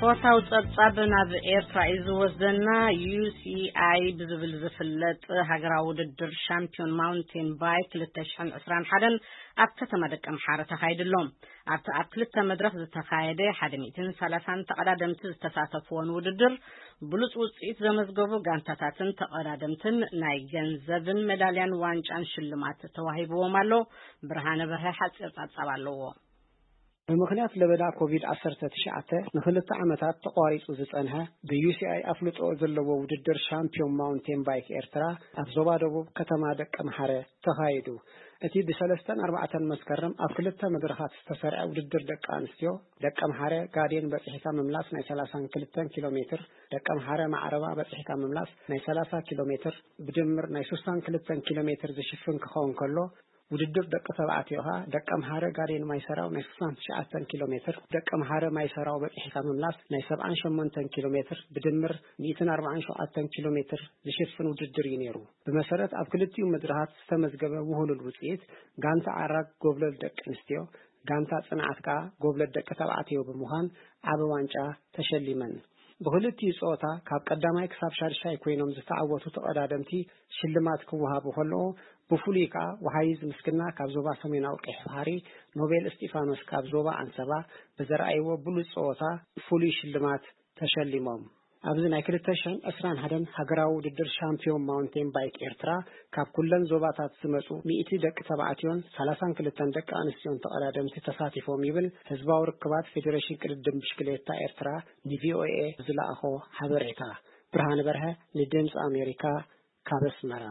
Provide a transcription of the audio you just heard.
ስፖርታዊ ጸብጻብ ናብ ኤርትራ እዩ ዝወስደና። ዩ ሲ ኣይ ብዝብል ዝፍለጥ ሃገራዊ ውድድር ሻምፒዮን ማውንቴን ባይክ ክልተ ሽሕን ዕስራን ሓደን ኣብ ከተማ ደቀምሓረ ተኻይዱ ኣሎ። ኣብቲ ኣብ ክልተ መድረኽ ዝተኻየደ ሓደ ሚእትን ሰላሳን ተቐዳደምቲ ዝተሳተፍዎን ውድድር፣ ብሉጽ ውጽኢት ዘመዝገቡ ጋንታታትን ተቐዳደምትን ናይ ገንዘብን ሜዳልያን ዋንጫን ሽልማት ተዋሂብዎም ኣሎ። ብርሃነ በርሀ ሓጺር ጸብጻብ ኣለዎ። ብምኽንያት ለበዳ ኮቪድ ዓሰርተ ትሽዓተ ንኽልተ ዓመታት ተቋሪጹ ዝጸንሐ፣ ብ ዩ ሲ ኣይ ኣፍልጦ ዘለዎ ውድድር ሻምፒዮን ማውንቴን ባይክ ኤርትራ ኣብ ዞባ ደቡብ ከተማ ደቀምሓረ ተኻይዱ። እቲ ብ ሰለስተን ኣርባዕተን መስከረም ኣብ ክልተ መድረኻት ዝተሰርዐ ውድድር ደቂ ኣንስትዮ፣ ደቀምሓረ ጋዴን በጺሕካ ምምላስ ናይ ሰላሳን ክልተን ኪሎ ሜትር፣ ደቀምሓረ ማዕረባ በጺሕካ ምምላስ ናይ ሰላሳ ኪሎ ሜትር፣ ብድምር ናይ ስሳን ክልተን ኪሎ ሜትር ዝሽፍን ክኸውን ከሎ፣ ውድድር ደቂ ተባዕትዮ ኸኣ ደቀምሓረ ጋዴን ማይሰራው ናይ ስሳን ትሽዓተን ኪሎ ሜትር፣ ደቀምሓረ ማይሰራው በጺሕካ ምምላስ ናይ ሰብዓን ሸሞንተን ኪሎ ሜትር፣ ብድምር ሚእትን ኣርባዓን ሸውዓተን ኪሎ ሜትር ዝሽፍን ውድድር እዩ ነይሩ። ብመሰረት ኣብ ክልቲኡ መድረኻት ዝተመዝገበ ውህሉል ውጽኢት፣ ጋንታ ዓራግ ጎብለል ደቂ ኣንስትዮ፣ ጋንታ ጽንዓት ከኣ ጎብለል ደቂ ተባዕትዮ ብምዃን ዓቢ ዋንጫ ተሸሊመን። ብኽልቲኡ ጸወታ ካብ ቀዳማይ ክሳብ ሻድሻይ ኮይኖም ዝተዓወቱ ተቐዳደምቲ ሽልማት ክወሃቡ ከለዉ፣ ብፍሉይ ከኣ ወሃይዝ ምስግና ካብ ዞባ ሰሜናዊ ቀይሕ ባሕሪ፣ ኖቤል እስጢፋኖስ ካብ ዞባ ኣንሰባ ብዘርኣይዎ ብሉጽ ጸወታ ፍሉይ ሽልማት ተሸሊሞም። ኣብዚ ናይ ክልተ ሽሕን ዕስራን ሓደን ሃገራዊ ውድድር ሻምፒዮን ማውንቴን ባይክ ኤርትራ ካብ ኩለን ዞባታት ዝመጹ ሚእቲ ደቂ ተባዕትዮን ሰላሳን ክልተን ደቂ ኣንስትዮን ተቐዳደምቲ ተሳቲፎም ይብል ህዝባዊ ርክባት ፌዴሬሽን ቅድድም ብሽክሌታ ኤርትራ ን ቪ ኦ ኤ ዝለኣኾ ሓበሬታ። ብርሃነ በርሀ ንድምጺ ኣሜሪካ ካብ ኣስመራ።